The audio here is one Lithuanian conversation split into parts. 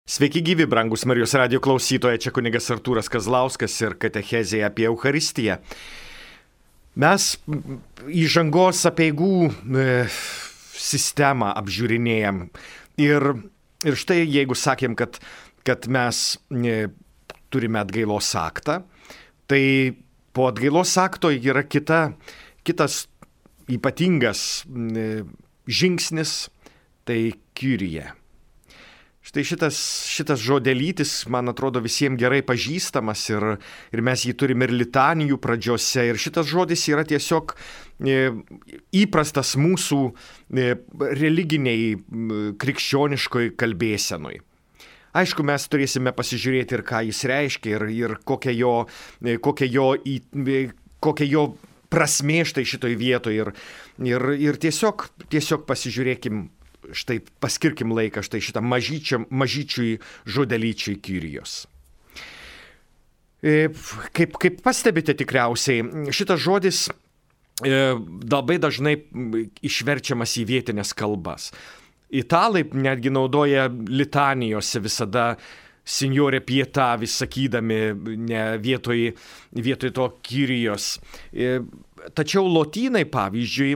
Sveiki gyvi, brangus Marijos radijo klausytojai, čia kunigas Artūras Kazlauskas ir katechezė apie Eucharistiją. Mes įžangos apeigų sistemą apžiūrinėjam ir štai jeigu sakėm, kad mes turime atgailos aktą, tai po atgailos akto yra kitas ypatingas žingsnis, tai Kyrie. Štai šitas žodelytis, man atrodo, visiems gerai pažįstamas ir mes jį turime ir litanijų pradžiose. Ir šitas žodis yra tiesiog įprastas mūsų religiniai krikščioniškoj kalbėsenui. Aišku, mes turėsime pasižiūrėti ir ką jis reiškia ir kokia jo prasmė štai šitoj vietoje. Ir tiesiog pasižiūrėkim. Štai paskirkim laiką štai šitą mažyčiui žodelyčiai Kyrijos. Kaip pastebite tikriausiai, šitas žodis labai dažnai išverčiamas į vietinės kalbas. Italai netgi naudoja litanijose visada Signore pietà vis sakydami ne vietoj to Kyrijos. Tačiau lotynai, pavyzdžiui,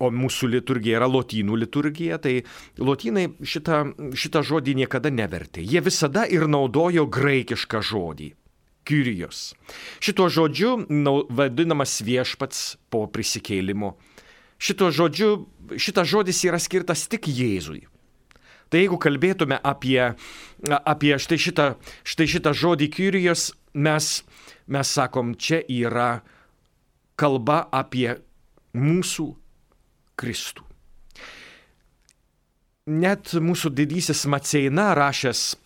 o mūsų liturgija yra lotynų liturgija, tai lotynai šitą žodį niekada nevertė. Jie visada ir naudojo graikišką žodį – Kyrijos. Šituo žodžiu vadinamas viešpats po prisikėlimo. Šitas žodis yra skirtas tik Jėzui. Tai jeigu kalbėtume apie štai šitą žodį Kyrijos, mes sakom, čia yra kalba apie mūsų Kristų. Net mūsų didysis Maceina rašęs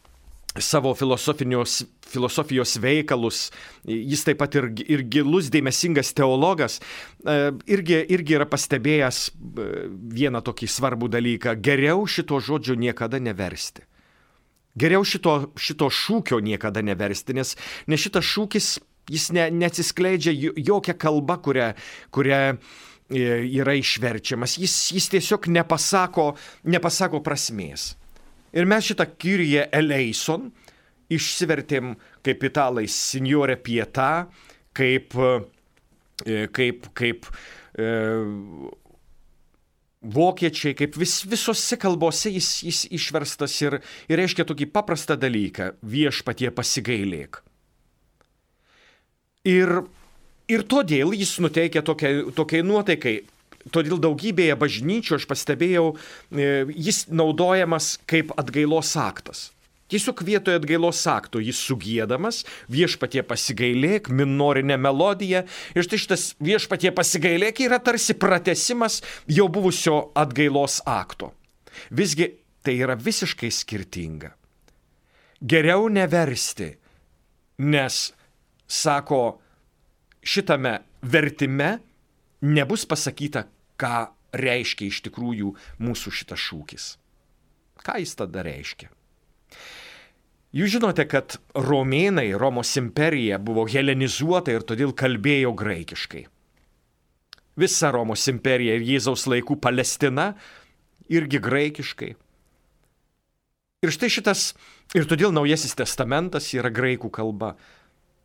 savo filosofijos veikalus, jis taip pat ir gilus dėmesingas teologas, irgi yra pastebėjęs vieną tokį svarbų dalyką. Geriau šito žodžio niekada neversti. Geriau šito šūkio niekada neversti, nes šitas šūkis jis neatsiskleidžia jokia kalba, kuria yra išverčiamas. Jis tiesiog nepasako prasmės. Ir mes šitą Kyrie eleison išsivertėm kaip italai Signore pietà, kaip vokiečiai, kaip visose kalbose jis išverstas ir reiškia tokį paprastą dalyką – viešpatie pasigailėk. Ir todėl jis nuteikia tokiai nuotaikai. Todėl daugybėje bažnyčių, aš pastebėjau, jis naudojamas kaip atgailos aktas. Tiesiog vietoje atgailos akto jis sugiedamas, viešpatie pasigailėk, minorinė melodija. Ir štai šitas viešpatie pasigailėk yra tarsi pratęsimas jau buvusio atgailos akto. Visgi tai yra visiškai skirtinga. Geriau neversti, nes sako, šitame vertime nebus pasakyta, ką reiškia iš tikrųjų mūsų šitas šūkis. Ką jis tada reiškia? Jūs žinote, kad romėnai, Romos imperija buvo helenizuota ir todėl kalbėjo graikiškai. Visa Romos imperija ir Jėzaus laikų Palestina irgi graikiškai. Ir todėl Naujasis testamentas yra graikų kalba.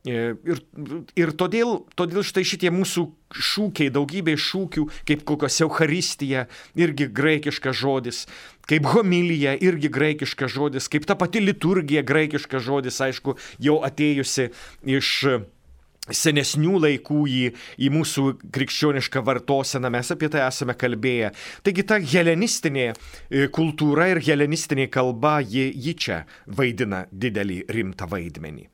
Ir todėl štai šitie mūsų šūkiai, daugybė šūkių, kaip kokios Eucharistija, irgi graikiškas žodis, kaip homilija, irgi graikiškas žodis, kaip ta pati liturgija, graikiškas žodis, aišku, jau atėjusi iš senesnių laikų į mūsų krikščionišką vartoseną, mes apie tai esame kalbėję. Taigi ta helenistinė kultūra ir helenistinė kalba, ji čia vaidina didelį rimtą vaidmenį.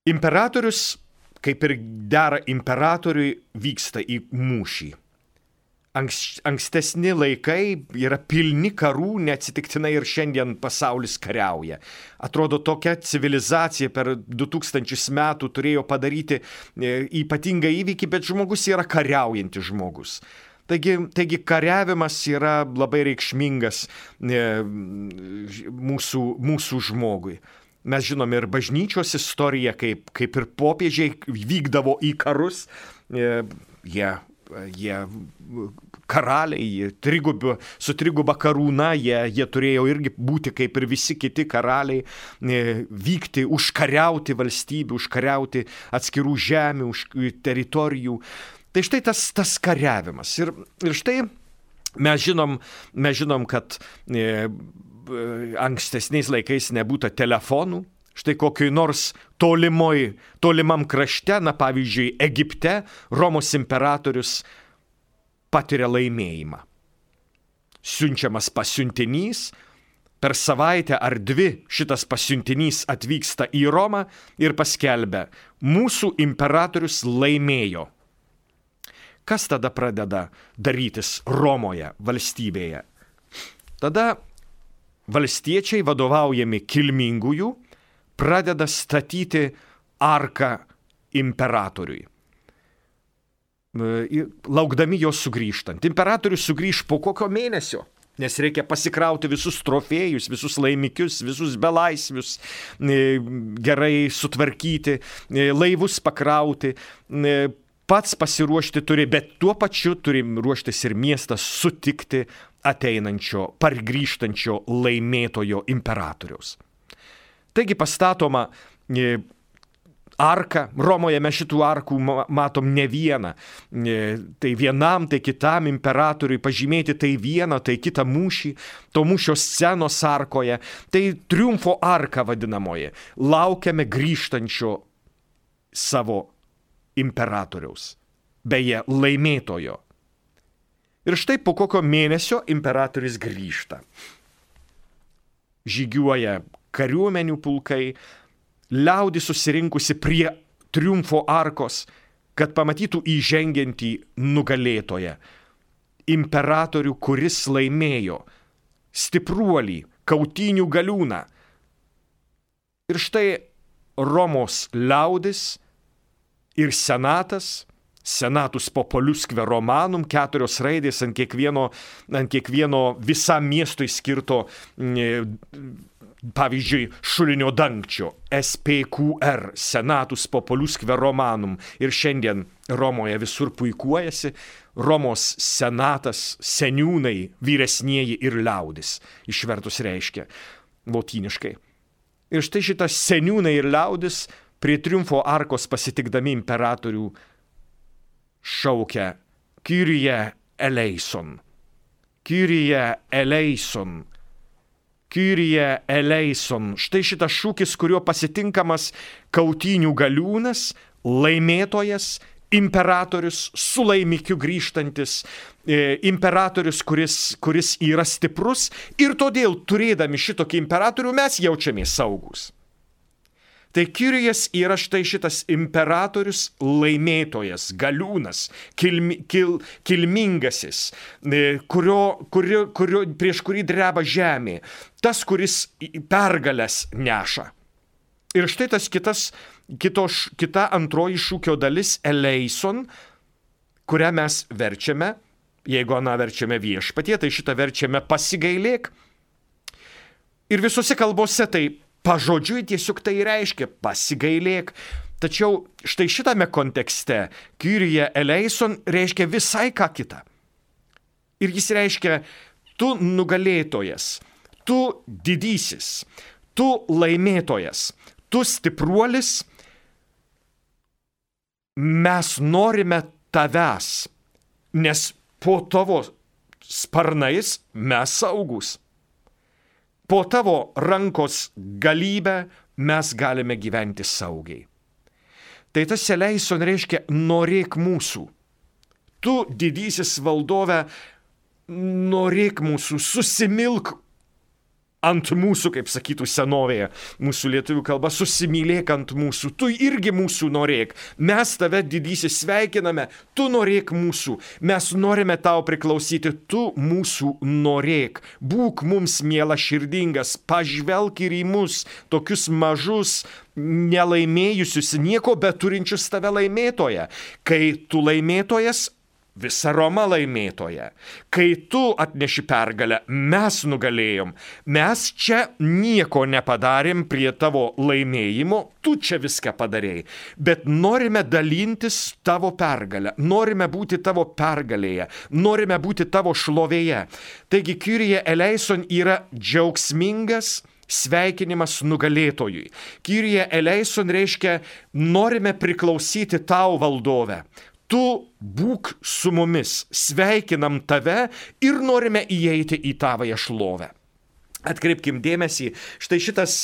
Imperatorius, kaip ir dera imperatoriui, vyksta į mūšį. Ankstesni laikai yra pilni karų, neatsitiktinai ir šiandien pasaulis kariauja. Atrodo, tokia civilizacija per 2000 metų turėjo padaryti ypatingą įvykį, bet žmogus yra kariaujantis žmogus. Taigi kariavimas yra labai reikšmingas mūsų žmogui. Mes žinome ir bažnyčios istoriją, kaip ir popiežiai vykdavo į karus, jie jie karaliai, su triguba karūna, jie turėjo irgi būti kaip ir visi kiti karaliai, vykti, užkariauti valstybių, užkariauti atskirų žemių, teritorijų. Tai štai tas kariavimas. Ir štai mes žinom, kad ankstesniais laikais nebūta telefonų. Štai kokioj nors tolimam krašte, pavyzdžiui, Egipte, Romos imperatorius patiria laimėjimą. Siunčiamas pasiuntinys, per savaitę ar dvi šitas pasiuntinys atvyksta į Romą ir paskelbia, mūsų imperatorius laimėjo. Kas tada pradeda darytis Romoje, valstybėje? Tada valstiečiai, vadovaujami kilmingųjų, pradeda statyti arką imperatoriui, laukdami jo sugrįžtant. Imperatorius sugrįž po kokio mėnesio, nes reikia pasikrauti visus trofėjus, visus laimikius, visus belaisvius, gerai sutvarkyti, laivus pakrauti, pats pasiruošti turi, bet tuo pačiu turi ruoštis ir miestas sutikti ateinančio, pargrįžtančio laimėtojo imperatoriaus. Taigi pastatoma arka, Romoje mes šitų arkų matom ne vieną, tai vienam, tai kitam imperatoriui pažymėti tai vieną, tai kitą mūšį, to mūšio scenos arkoje, tai triumfo arka vadinamoji, laukiame grįžtančio savo imperatoriaus, beje, laimėtojo. Ir štai po kokio mėnesio imperatorius grįžta. Žygiuoja kariuomenių pulkai, liaudis susirinkusi prie triumfo arkos, kad pamatytų įžengiantį nugalėtoją, imperatorių, kuris laimėjo, stipruolį, kautynių galiūną. Ir štai Romos liaudis ir senatas, senatus populusque romanum, 4 raidės ant kiekvieno visam miestui skirto, pavyzdžiui, šulinio dangčio, SPQR, senatus populusque romanum. Ir šiandien Romoje visur puikuojasi Romos senatas, seniūnai, vyresnieji ir liaudis, išvertus reiškia lotyniškai. Ir štai šitas seniūnai ir liaudis prie triumfo arkos pasitikdami imperatorių šaukia Kyrie eleison, Kyrie eleison, Kyrie eleison. Štai šitas šūkis, kuriuo pasitinkamas kautynių galiūnas, laimėtojas, imperatorius, su laimikiu grįžtantis, imperatorius, kuris yra stiprus, ir todėl, turėdami šitokį imperatorių, mes jaučiamės saugus. Tai Kyrijus yra štai šitas imperatorius, laimėtojas, galiūnas, kilmingasis, prieš kurį dreba žemė, tas, kuris pergalės neša. Ir štai tas kita antroji šūkio dalis, eleison, kurią mes verčiame, jeigu aną verčiame viešpatie, tai šitą verčiame pasigailėk. Ir visose kalbose tai pažodžiui tiesiog tai reiškia pasigailėk. Tačiau štai šitame kontekste Kyrie eleison reiškia visai ką kitą. Ir jis reiškia tu nugalėtojas, tu didysis, tu laimėtojas, tu stipruolis, mes norime tavęs, nes po tavo sparnais mes saugus. Po tavo rankos galybę mes galime gyventi saugiai. Tai tas eleison reiškia norėk mūsų. Tu, didysis valdove, norėk mūsų, susimilk ant mūsų, kaip sakytų senovėje, mūsų lietuvių kalba, susimylėk ant mūsų, tu irgi mūsų norėk, mes tave didysis sveikiname, tu norėk mūsų, mes norime tau priklausyti, tu mūsų norėk, būk mums miela širdingas, pažvelk ir į mus, tokius mažus, nelaimėjusius, nieko beturinčius tave laimėtoje, kai tu laimėtojas, visa Roma laimėtoja. Kai tu atneši pergalę, mes nugalėjom. Mes čia nieko nepadarėm prie tavo laimėjimo, tu čia viską padarėjai. Bet norime dalintis tavo pergalę, norime būti tavo pergalėje, norime būti tavo šlovėje. Taigi Kyrie eleison yra džiaugsmingas sveikinimas nugalėtojui. Kyrie eleison reiškia, norime priklausyti tau, valdove. Tu būk su mumis, sveikinam tave ir norime įeiti į tavąją šlovę. Atkreipkim dėmesį, štai šitas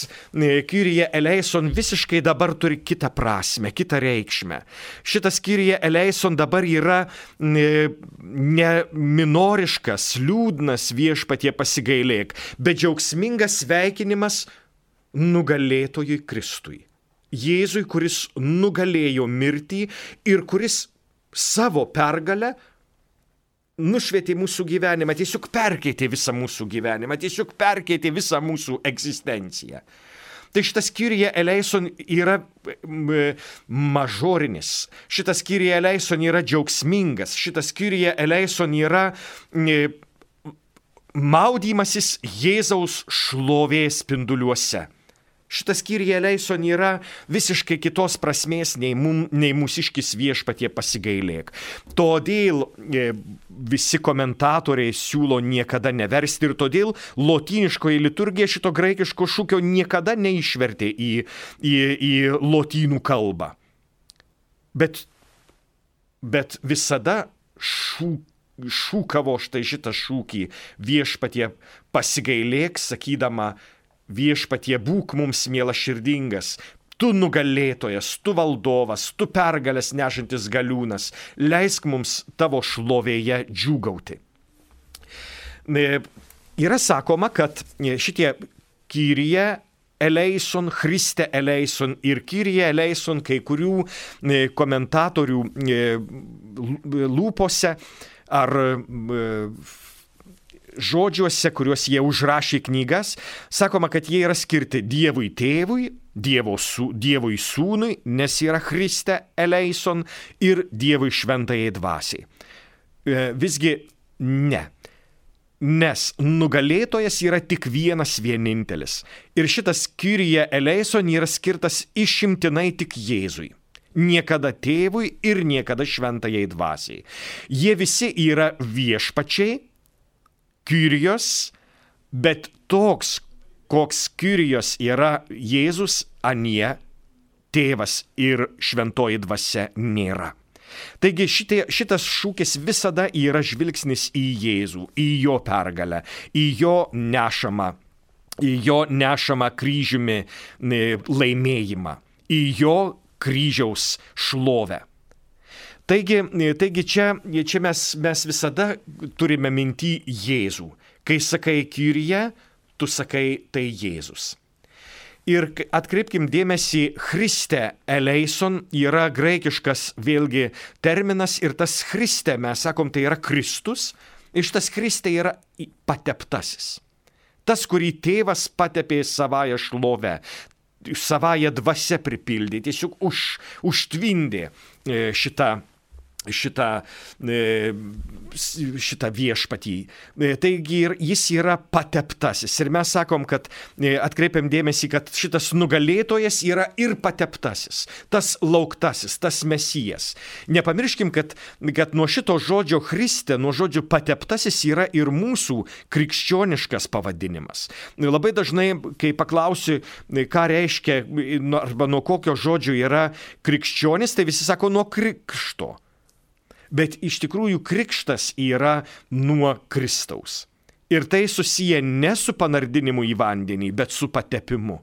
Kyrie eleison visiškai dabar turi kitą prasme, kitą reikšmę. Šitas Kyrie eleison dabar yra ne minoriškas, liūdnas viešpatie pasigailėk, bet džiaugsmingas sveikinimas nugalėtojui Kristui. Jėzui, kuris nugalėjo mirtį ir kuris savo pergalę nušvietė mūsų gyvenimą, tiesiog perkeitė visą mūsų gyvenimą, tiesiog perkeitė visą mūsų egzistenciją. Tai šitas Kyrie eleison yra mažorinis, šitas Kyrie eleison yra džiaugsmingas, šitas Kyrie eleison yra maudymasis Jėzaus šlovės spinduliuose. Šitas Kyrie eleison yra visiškai kitos prasmės nei mūsiškis viešpatie pasigailėk. Todėl visi komentatoriai siūlo niekada neversti ir todėl lotyniškoji liturgija šito graikiško šūkio niekada neišvertė į lotynų kalbą. Bet visada šūkavo štai šitą šūkį viešpatie pasigailėk, sakydama, viešpatie būk mums mielaširdingas, tu nugalėtojas, tu valdovas, tu pergalės nešantis galiūnas, leisk mums tavo šlovėje džiūgauti. Yra sakoma, kad šitie Kyrie eleison, Christe eleison ir Kyrie eleison kai kurių komentatorių lūpose ar žodžiuose, kuriuos jie užrašė knygas, sakoma, kad jie yra skirti Dievui tėvui, Dievui sūnui, nes yra Christe eleison ir Dievui šventajai dvasiai. Visgi ne. Nes nugalėtojas yra tik vienas vienintelis. Ir šitas Kyrie eleison yra skirtas išimtinai tik Jėzui. Niekada tėvui ir niekada šventajai dvasiai. Jie visi yra viešpačiai, Kyrios, bet toks, koks Kyrios yra Jėzus, anie tėvas ir šventoji dvasia nėra. Taigi šitas šūkis visada yra žvilgsnis į Jėzų, į jo pergalę, į jo nešamą kryžiumi laimėjimą, į jo kryžiaus šlovę. Taigi čia mes visada turime minty Jėzų. Kai sakai Kyrie, tu sakai tai Jėzus. Ir atkreipkim dėmesį, Christe eleison yra graikiškas vėlgi terminas ir tas Christe, mes sakom, tai yra Kristus. Ir šitas Christe yra pateptasis. Tas, kurį tėvas patepė savąją šlovę, savąją dvasią pripildė, tiesiog užtvindė šitą viešpatį. Taigi jis yra pateptasis. Ir mes sakom, kad atkreipiam dėmesį, kad šitas nugalėtojas yra ir pateptasis, tas lauktasis, tas mesijas. Nepamirškim, kad nuo šito žodžio Christe, nuo žodžio pateptasis yra ir mūsų krikščioniškas pavadinimas. Labai dažnai, kai paklausiu, ką reiškia arba nuo kokio žodžio yra krikščionis, tai visi sako nuo krikšto. Bet iš tikrųjų krikštas yra nuo Kristaus. Ir tai susiję ne su panardinimu į vandenį, bet su patepimu.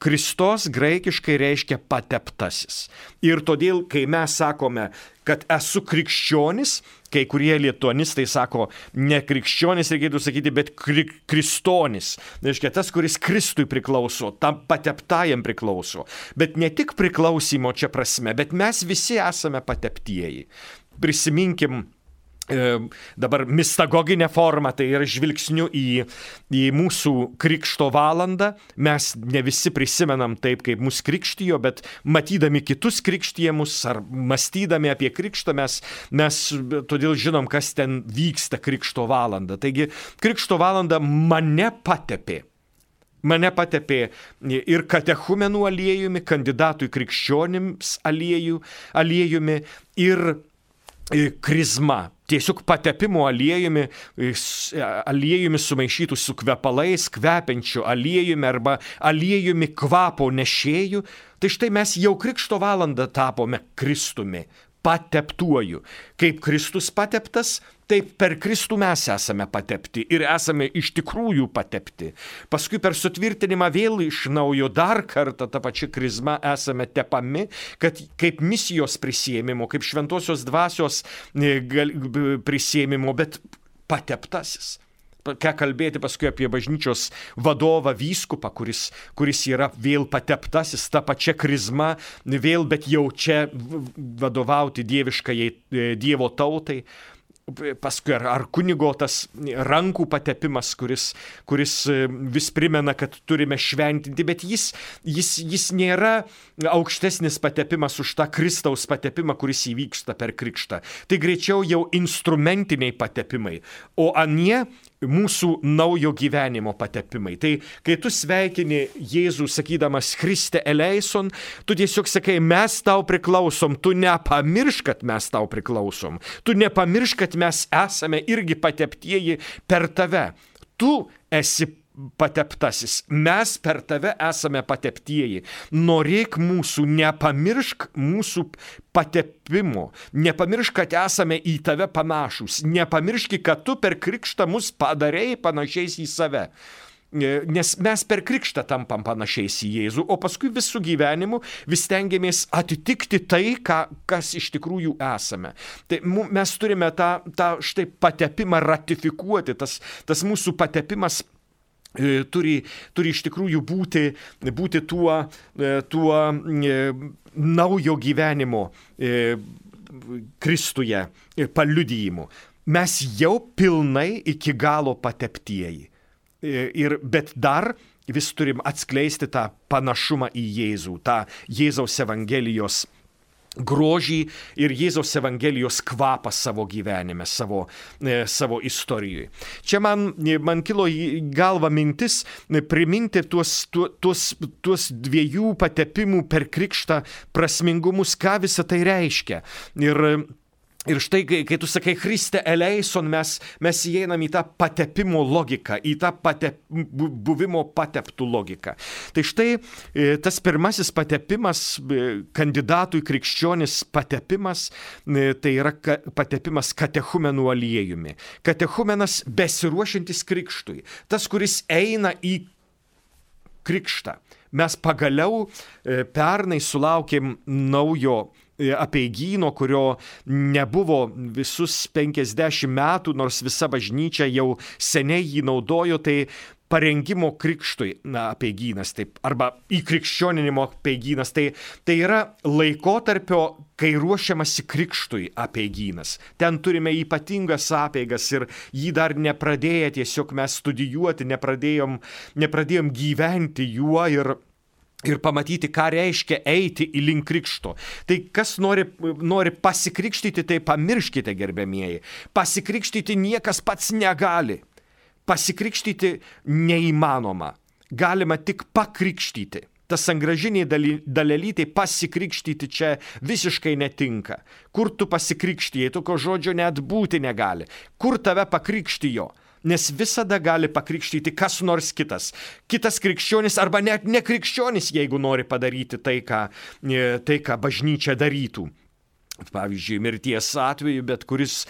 Kristos graikiškai reiškia pateptasis. Ir todėl, kai mes sakome, kad esu krikščionis, kai kurie lituanistai sako, ne krikščionis reikėtų sakyti, bet kristonis. Reiškia, tas, kuris Kristui priklauso, tam pateptajam priklauso. Bet ne tik priklausimo čia prasme, bet mes visi esame pateptieji. Prisiminkim dabar mistagoginę formą, tai yra žvilgsniu į mūsų krikšto valandą. Mes ne visi prisimenam taip, kaip mus krikštijo, bet matydami kitus krikštijamus ar mąstydami apie krikštą, mes todėl žinom, kas ten vyksta krikšto valandą. Taigi, krikšto valanda mane patepė. Mane patepė ir katechumenų aliejumi, kandidatų į krikščionims aliejumi ir krizma. Tiesiog patepimo aliejumi sumaišytų su kvepalais, kvepiančiu aliejumi arba aliejumi kvapo nešėjų. Tai štai mes jau krikšto valandą tapome Kristumi, pateptuoju. Kaip Kristus pateptas, taip per Kristų mes esame patepti ir esame iš tikrųjų patepti. Paskui per sutvirtinimą vėl iš naujo dar kartą tą pačią krizmą esame tepami, kad kaip misijos prisiėmimo, kaip šventosios dvasios prisiėmimo, bet pateptasis. Ką kalbėti paskui apie bažnyčios vadovą, vyskupą, kuris yra vėl pateptasis, ta pačia krizma, vėl, bet jau čia vadovauti dieviškajai Dievo tautai. Paskui ar kunigo tas rankų patepimas, kuris vis primena, kad turime šventinti, bet jis nėra aukštesnis patepimas už tą Kristaus patepimą, kuris įvyksta per krikštą. Tai greičiau jau instrumentiniai patepimai, o anie mūsų naujo gyvenimo patepimai. Tai kai tu sveikini Jėzų sakydamas Christe eleison, tu tiesiog sakai, mes tau priklausom, tu nepamiršk, kad mes tau priklausom, tu nepamiršk, kad mes esame irgi pateptieji per tave. Tu esi pateptasis, mes per tave esame pateptieji. Norėk mūsų, nepamiršk mūsų patepimo, nepamiršk, kad esame į tave panašus, nepamiršk, kad tu per krikštą mus padarei panašiais į save. Nes mes per krikštą tampam panašiais į Jėzų, o paskui visų gyvenimu vis stengiamės atitikti tai, kas iš tikrųjų esame. Tai mes turime tą štai patepimą ratifikuoti, tas mūsų patepimas turi iš tikrųjų būti tuo naujo gyvenimo Kristuje paliudijimu. Mes jau pilnai iki galo pateptieji. Bet dar vis turim atskleisti tą panašumą į Jėzų, tą Jėzaus Evangelijos grožį ir Jėzaus Evangelijos kvapą savo gyvenime, savo istorijoje. Čia man kilo į galvą mintis priminti tuos dviejų patepimų per krikštą prasmingumus, ką visą tai reiškia. Ir štai, kai tu sakai Christe eleison, mes įeinam į tą patepimo logiką, į tą buvimo pateptų logiką. Tai štai tas pirmasis patepimas, kandidatų į krikščionis patepimas, tai yra patepimas katechumenų aliejumi. Katechumenas besiruošiantis krikštui, tas, kuris eina į krikštą. Mes pagaliau pernai sulaukėm naujo apeigyno, kurio nebuvo visus 50 metų, nors visa bažnyčia jau seniai jį naudojo, tai parengimo krikštui apeigynas, taip, arba įkrikščioninimo apeigynas, tai yra laikotarpio, kai ruošiamasi krikštui apeigynas. Ten turime ypatingas apeigas ir jį dar nepradėję tiesiog mes studijuoti, nepradėjom gyventi juo ir pamatyti, ką reiškia eiti į link krikšto. Tai kas nori pasikrikštyti, tai pamirškite, gerbiamieji. Pasikrikštyti niekas pats negali. Pasikrikštyti neįmanoma. Galima tik pakrikštyti. Tas sangražiniai dalelytai pasikrikštyti čia visiškai netinka. Kur tu pasikrikštijai, tokio žodžio net būti negali. Kur tave pakrikštijo? Nes visada gali pakrikštyti kas nors kitas. Kitas krikščionis arba net nekrikščionis, jeigu nori padaryti tai, ką bažnyčia darytų. Pavyzdžiui, mirties atveju, bet kuris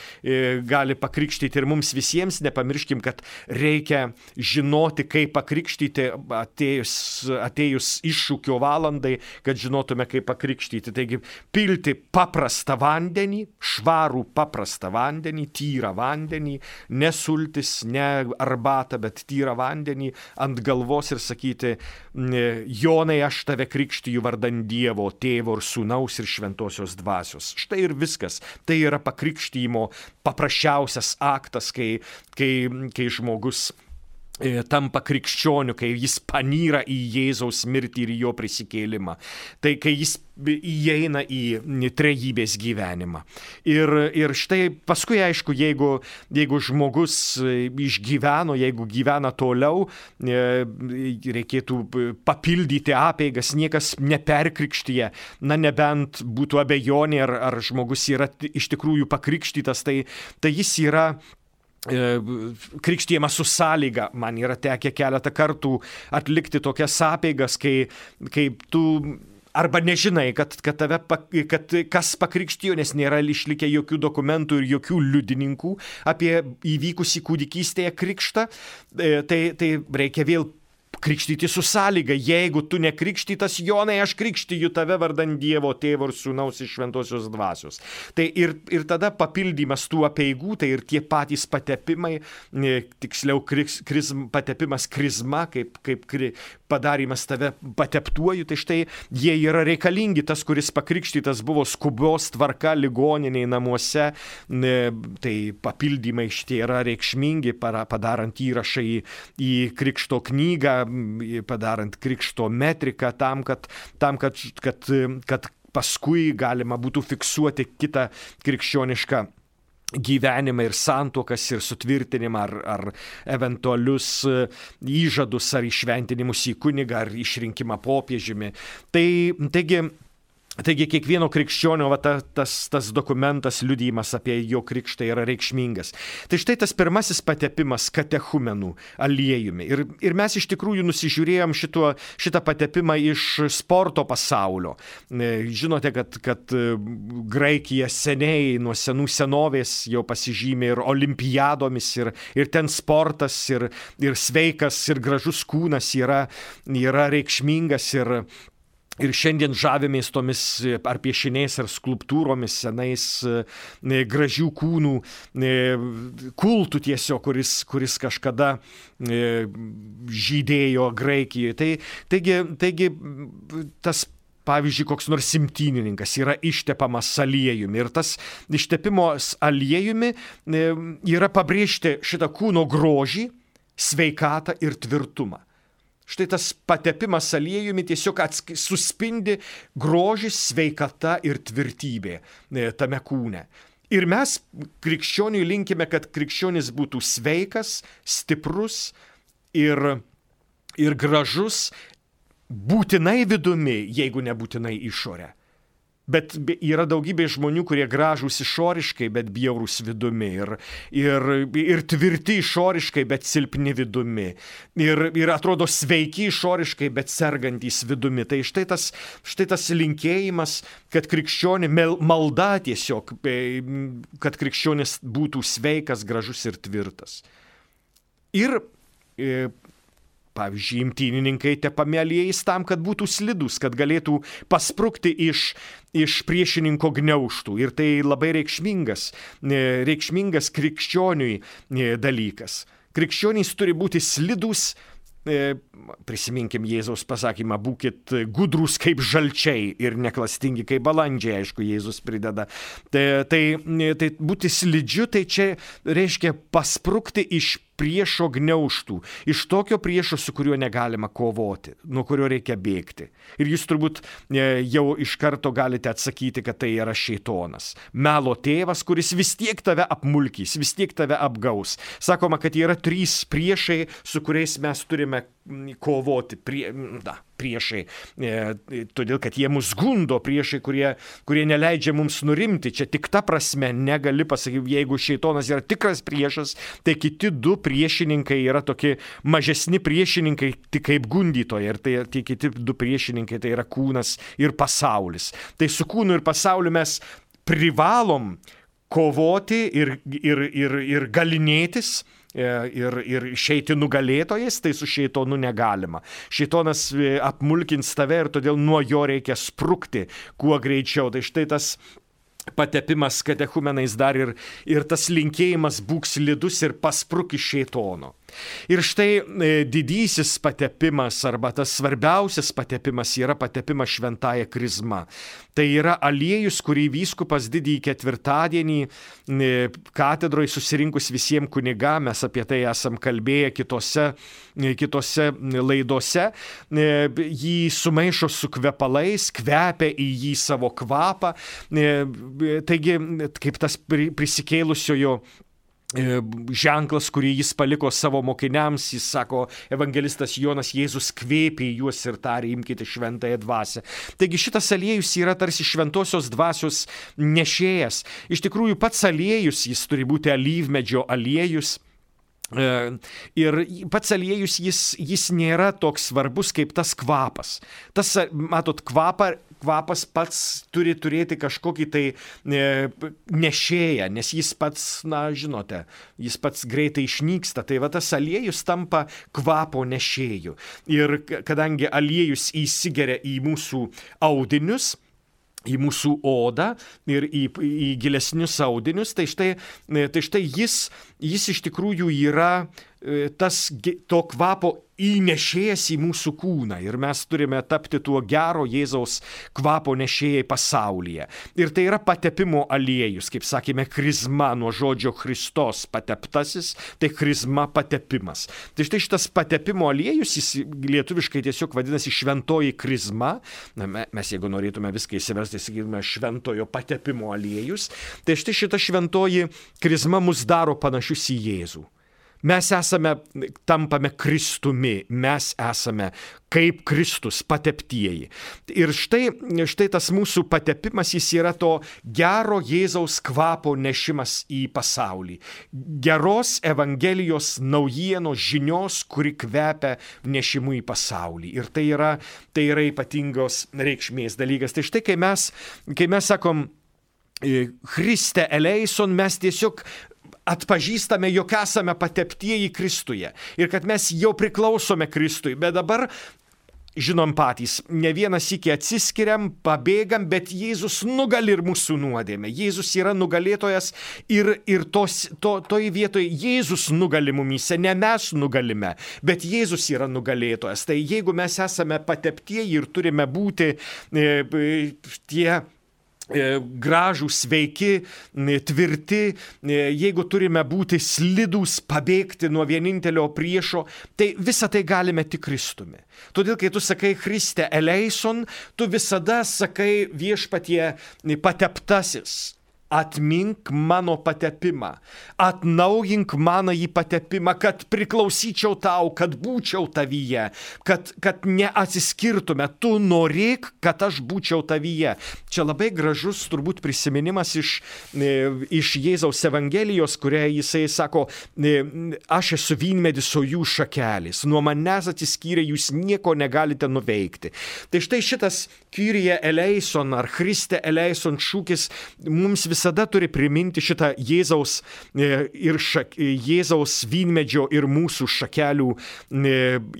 gali pakrikštyti ir mums visiems. Nepamirškim, kad reikia žinoti, kaip pakrikštyti atėjus iššūkio valandai, kad žinotume, kaip pakrikštyti. Taigi, pilti paprastą vandenį, švarų paprastą vandenį, tyrą vandenį, ne sultis, ne arbatą, bet tyrą vandenį ant galvos ir sakyti, Jonai, aš tave krikštiju vardan Dievo, Tėvo ir Sūnaus ir Šventosios Dvasios. Štai ir viskas. Tai yra pakrikštymo paprasčiausias aktas, kai žmogus tampa krikščioniu, kai jis panyra į Jėzaus mirtį ir jo prisikėlimą. Tai kai jis įeina į trejybės gyvenimą. Ir štai paskui, aišku, jeigu žmogus išgyveno, jeigu gyvena toliau, reikėtų papildyti apeigas, niekas neperkrikštyje, nebent būtų abejonė, ar žmogus yra iš tikrųjų pakrikštytas, tai jis yra krikštijamas su sąlyga. Man yra tekę keletą kartų atlikti tokias apeigas, kai tu arba nežinai, kad kas pakrikštijo, nes nėra išlikę jokių dokumentų ir jokių liudininkų apie įvykusį kūdikystėje krikštą, tai reikia vėl krikštyti su sąlyga. Jeigu tu nekrikštytas, Jonai, aš krikštiju tave vardan Dievo Tėvo ir Sūnaus ir Šventosios Dvasios. Tai ir tada papildymas tų apeigų, tai ir tie patys patepimai, tiksliau patepimas krizma, kaip padarymas tave pateptuoju, tai štai jie yra reikalingi. Tas, kuris pakrikštytas buvo skubios tvarka ligoniniai namuose, tai papildymai šitie yra reikšmingi, padarant įrašą į krikšto knygą, padarant krikšto metriką tam, kad paskui galima būtų fiksuoti kitą krikščionišką gyvenimą ir santuokas ir sutvirtinimą ar eventualius įžadus ar įšventinimus į kunigą ar išrinkimą popiežiumi. Taigi kiekvieno krikščionio tas dokumentas, liudijimas apie jo krikštą yra reikšmingas. Tai štai tas pirmasis patepimas katechumenų aliejumi. Ir mes iš tikrųjų nusižiūrėjom šitą patepimą iš sporto pasaulio. Žinote, kad Graikija seniai nuo senų senovės jau pasižymė ir olimpiadomis, ir ten sportas, ir sveikas, ir gražus kūnas yra reikšmingas, ir šiandien žavimės tomis ar piešiniais, ar skulptūromis senais gražių kūnų kultų tiesiog, kuris kažkada žydėjo Graikijoje. Taigi tas, pavyzdžiui, koks nors imtynininkas yra ištepamas aliejumi. Ir tas ištepimas aliejumi yra pabrėžti šitą kūno grožį, sveikatą ir tvirtumą. Štai tas patepimas aliejumi tiesiog suspindi grožis, sveikata ir tvirtybė tame kūne. Ir mes krikščioniui linkime, kad krikščionis būtų sveikas, stiprus ir gražus, būtinai vidumi, jeigu nebūtinai išorė. Bet yra daugybė žmonių, kurie gražūs išoriškai, bet bjaurūs vidumi. Ir tvirti išoriškai, bet silpni vidumi. Ir atrodo sveiki išoriškai, bet sergantys vidumi. Tai štai tas linkėjimas, kad krikščionį malda tiesiog, kad krikščionis būtų sveikas, gražus ir tvirtas. Ir pavyzdžiui, imtynininkai tepami aliejais tam, kad būtų slidus, kad galėtų pasprukti iš priešininko gniaužtų. Ir tai labai reikšmingas krikščioniui dalykas. Krikščionys turi būti slidus. Prisiminkim Jėzaus pasakymą, būkit gudrūs kaip žalčiai ir neklastingi kaip balandžiai, aišku, Jėzus prideda. Tai būti slidžiu, tai čia reiškia pasprukti iš priešo gniaužtų, iš tokio priešo, su kuriuo negalima kovoti, nuo kurio reikia bėgti. Ir jūs turbūt jau iš karto galite atsakyti, kad tai yra šėtonas. Melo tėvas, kuris vis tiek tave apmulkys, vis tiek tave apgaus. Sakoma, kad yra 3 priešai, su kuriais mes turime kovoti. Priešai, todėl kad jie mus gundo, priešai, kurie neleidžia mums nurimti. Čia tik ta prasme negali pasakyti, jeigu šėtonas yra tikras priešas, tai kiti 2 priešininkai yra tokie mažesni priešininkai, tik kaip gundytojai. Ir tie kiti 2 priešininkai tai yra kūnas ir pasaulis. Tai su kūnu ir pasauliu mes privalom kovoti ir galinėtis. Ir išeiti nugalėtojais, tai su šėtonu negalima. Šėtonas apmulkins tave ir todėl nuo jo reikia sprukti kuo greičiau. Tai štai tas patepimas katechumenais dar ir tas linkėjimas būk slidus ir paspruk iš šėtono. Ir štai didysis patepimas arba tas svarbiausias patepimas yra patepimas šventąja krizma. Tai yra aliejus, kurį vyskupas didįjį ketvirtadienį katedroje susirinkus visiems kunigam, mes apie tai esam kalbėję kitose laidose, jį sumaišo su kvepalais, kvepia į jį savo kvapą. Taigi, kaip tas prisikėlusiojo ženklas, kurį jis paliko savo mokiniams, jis sako, evangelistas Jonas, Jėzus kvėpė į juos ir tarė, imkite šventąją dvasią. Taigi šitas aliejus yra tarsi šventosios dvasios nešėjas. Iš tikrųjų, pats aliejus, jis turi būti alyvmedžio aliejus. Ir pats aliejus, jis nėra toks svarbus kaip tas kvapas. Tas, matot, kvapas pats turi turėti kažkokį tai nešėją, nes jis pats, žinote, jis pats greitai išnyksta. Tai va tas aliejus tampa kvapo nešėju. Ir kadangi aliejus įsigeria į mūsų audinius, į mūsų odą ir į gilesnius audinius, tai štai jis iš tikrųjų yra to kvapo įnešėjas į mūsų kūną ir mes turime tapti tuo gero Jėzaus kvapo nešėjai pasaulyje. Ir tai yra patepimo aliejus, kaip sakėme, krizma nuo žodžio Kristos pateptasis, tai krizma patepimas. Tai štai šitas patepimo aliejus, jis lietuviškai tiesiog vadinasi šventoji krizma. Mes jeigu norėtume viską įsiversti, sakytume šventojo patepimo aliejus. Tai štai šita šventoji krizma mus daro panašius į Jėzų. Mes tampame Kristumi, mes esame kaip Kristus pateptieji. Ir štai tas mūsų patepimas, jis yra to gero Jėzaus kvapo nešimas į pasaulį. Geros Evangelijos naujienos žinios, kuri kvepia nešimu į pasaulį. Ir tai yra ypatingos reikšmės dalykas. Tai štai, kai mes sakom Christe eleison, mes tiesiog atpažįstame, jog esame pateptieji Kristuje ir kad mes jau priklausome Kristui, bet dabar žinom patys, ne vieną sykį atsiskiriam, pabėgam, bet Jėzus nugali ir mūsų nuodėmę. Jėzus yra nugalėtojas ir toj vietoje Jėzus nugali mumyse, ne mes nugalime, bet Jėzus yra nugalėtojas. Tai jeigu mes esame pateptieji ir turime būti tie gražūs, sveiki, tvirti, jeigu turime būti slidūs, pabėgti nuo vienintelio priešo, tai visą tai galime tik Kristumi. Todėl, kai tu sakai Christe eleison, tu visada sakai viešpatie pateptasis. Atmink mano patepimą, atnaujink mano į patepimą, kad priklausyčiau tau, kad būčiau tavyje, kad neatsiskirtume, tu norėk, kad aš būčiau tavyje. Čia labai gražus turbūt prisiminimas iš Jėzaus Evangelijos, kurioje jisai sako, aš esu vynmedis, o jūs šakelės, nuo manęs atsiskyrę jūs nieko negalite nuveikti. Tai štai šitas Kyrie eleison ar Christe eleison šūkis mums visada turi priminti šitą Jėzaus Jėzaus vynmedžio ir mūsų šakelių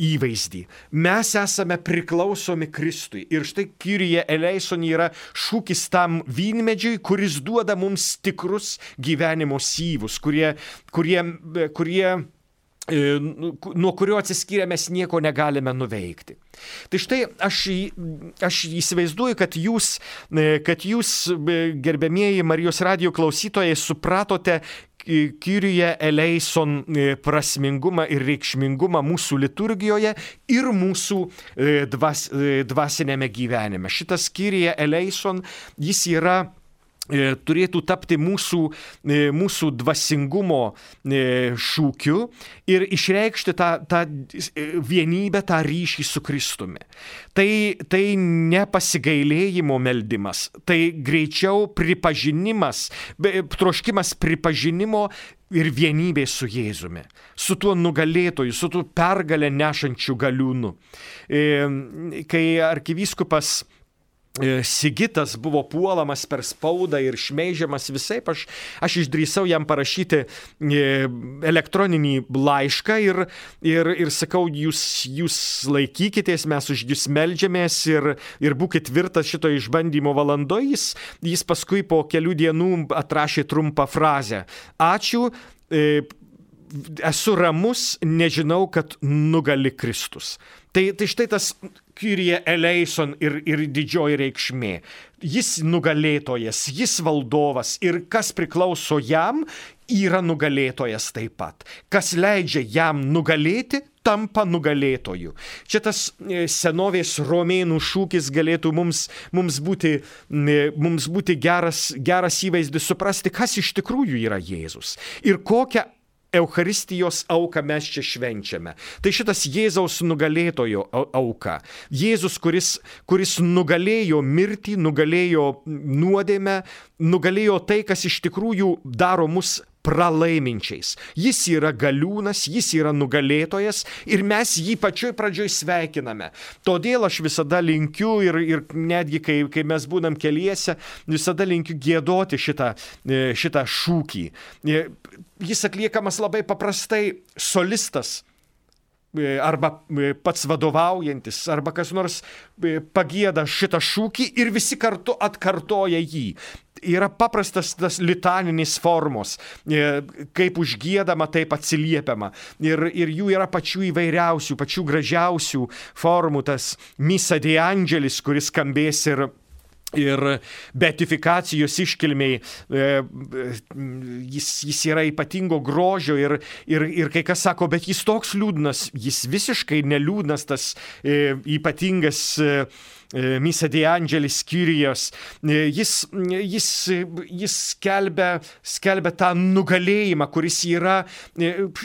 įvaizdį. Mes esame priklausomi Kristui. Ir štai Kyrie eleison yra šūkis tam vynmedžiui, kuris duoda mums tikrus gyvenimo syvus, kurie nuo kurio atsiskyrę mes nieko negalime nuveikti. Tai štai aš įsivaizduoju, kad jūs, gerbiamieji Marijos radijo klausytojai, supratote Kyrie eleison prasmingumą ir reikšmingumą mūsų liturgijoje ir mūsų dvasinėme gyvenime. Šitas Kyrie eleison, jis turėtų tapti mūsų dvasingumo šūkiu ir išreikšti tą vienybę, tą ryšį su Kristumi. Tai ne pasigailėjimo meldimas, tai greičiau pripažinimas, troškimas pripažinimo ir vienybė su Jėzumi, su tuo nugalėtoju, su tuo pergalę nešančiu galiūnu. Kai arkivyskupas Sigitas buvo puolamas per spaudą ir šmeižiamas visaip, aš išdrįsau jam parašyti elektroninį laišką ir sakau, jūs laikykitės, mes už jūs meldžiamės ir būkit tvirtas šito išbandymo valandoje. Jis paskui po kelių dienų atrašė trumpą frazę. Ačiū, esu ramus, nežinau, kad nugali Kristus. Tai štai tas Kyrie eleison ir didžioji reikšmė. Jis nugalėtojas, jis valdovas ir kas priklauso jam, yra nugalėtojas taip pat. Kas leidžia jam nugalėti, tampa nugalėtoju. Čia tas senovės romėnų šūkis galėtų mums būti geras įvaizdis suprasti, kas iš tikrųjų yra Jėzus ir kokią Eucharistijos auką mes čia švenčiame. Tai šitas Jėzaus nugalėtojo auka. Jėzus, kuris nugalėjo mirtį, nugalėjo nuodėmę, nugalėjo tai, kas iš tikrųjų daro mus pralaiminčiais. Jis yra galiūnas, jis yra nugalėtojas ir mes jį pačioj pradžioj sveikiname. Todėl aš visada linkiu ir netgi kai mes būnam keliese, visada linkiu giedoti šitą šūkį. Jis atliekamas labai paprastai, solistas arba pats vadovaujantis, arba kas nors pagieda šitą šūkį ir visi kartu atkartoja jį. Yra paprastas tas litaninis formos, kaip užgiedama, taip atsiliepiama. Ir jų yra pačių įvairiausių, pačių gražiausių formų, tas Misa de Angelis, kuris skambės ir beatifikacijos iškilmiai, jis yra ypatingo grožio ir kai kas sako, bet jis toks liūdnas, jis visiškai neliūdnas, tas ypatingas Misa de Angelis Kyrijos, jis skelbia tą nugalėjimą, kuris yra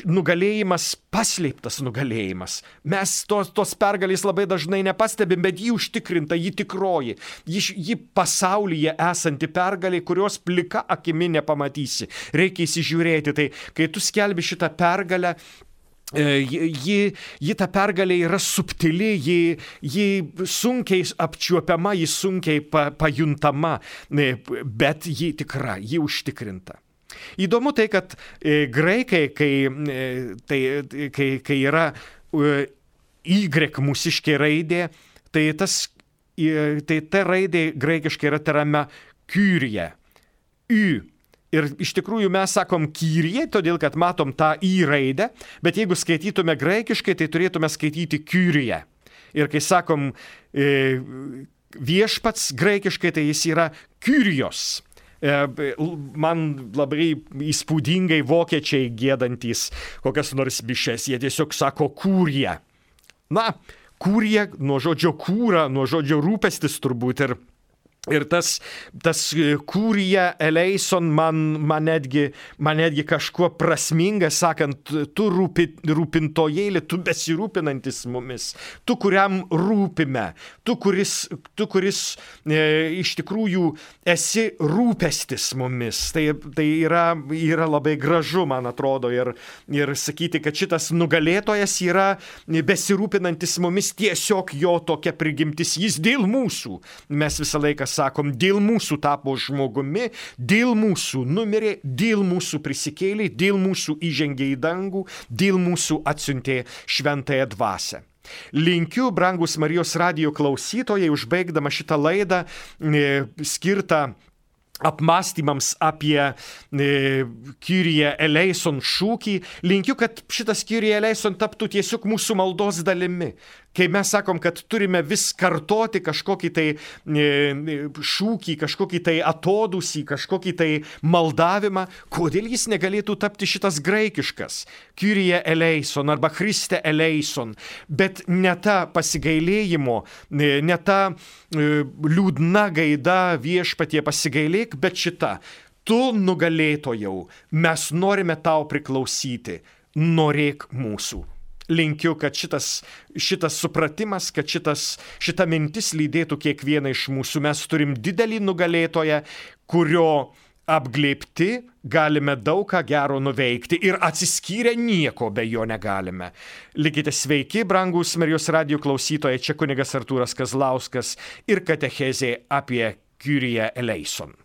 nugalėjimas, paslėptas nugalėjimas. Mes tos pergalės labai dažnai nepastebim, bet jį užtikrinta, jį tikroji, jį pasaulyje esanti pergalė, kurios plika akimi nepamatysi. Reikia įsižiūrėti, tai kai tu skelbi šitą pergalę, ji ta pergalė yra subtili, ji sunkiai apčiuopiama, ji sunkiai pajuntama, bet ji tikra, ji užtikrinta. Įdomu tai, kad graikai, kai yra Y mūsiškė raidė, tai ta raidė graikiškai yra tariama Kyrie, Y. Ir iš tikrųjų mes sakom Kyrie, todėl kad matom tą Y raidę, bet jeigu skaitytume graikiškai, tai turėtume skaityti Kyrie. Ir kai sakom viešpats graikiškai, tai jis yra Kyrios. Man labai įspūdingai vokiečiai giedantys kokias nors mišias, jie tiesiog sako kūrie. Na, kūrie nuo žodžio kūra, nuo žodžio rūpestis turbūt ir tas kūrija eleison man netgi kažkuo prasminga, sakant, tu rūpintojėlė, tu besirūpinantis mumis, tu kuriam rūpime, tu kuris iš tikrųjų esi rūpestis mumis. Tai yra labai gražu, man atrodo, ir sakyti, kad šitas nugalėtojas yra besirūpinantis mumis, tiesiog jo tokia prigimtis, jis dėl mūsų. Mes visą laiką sakom, dėl mūsų tapo žmogumi, dėl mūsų numirė, dėl mūsų prisikėlė, dėl mūsų įžengė į dangų, dėl mūsų atsiuntė šventąją dvasią. Linkiu, brangus Marijos radijo klausytojai, užbaigdama šitą laidą skirtą apmąstymams apie Kyrie eleison šūkį, linkiu, kad šitas Kyrie eleison taptų tiesiog mūsų maldos dalimi. Kai mes sakom, kad turime vis kartoti kažkokį tai šūkį, kažkokį tai atodūsį, kažkokį tai maldavimą, kodėl jis negalėtų tapti šitas graikiškas Kyrie eleison arba Christe eleison, bet ne ta pasigailėjimo, ne ta liūdna gaida viešpatie pasigailėk, bet šita. Tu nugalėtojau, mes norime tau priklausyti, norėk mūsų. Linkiu, kad šitas supratimas, kad šita mintis lydėtų kiekvieną iš mūsų. Mes turim didelį nugalėtoją, kurio apglėbti galime daug ką gero nuveikti ir atsiskyrę nieko be jo negalime. Likite sveiki, brangus Marijos radijo klausytojai, čia kunigas Artūras Kazlauskas ir katechezė apie Kyrie eleison.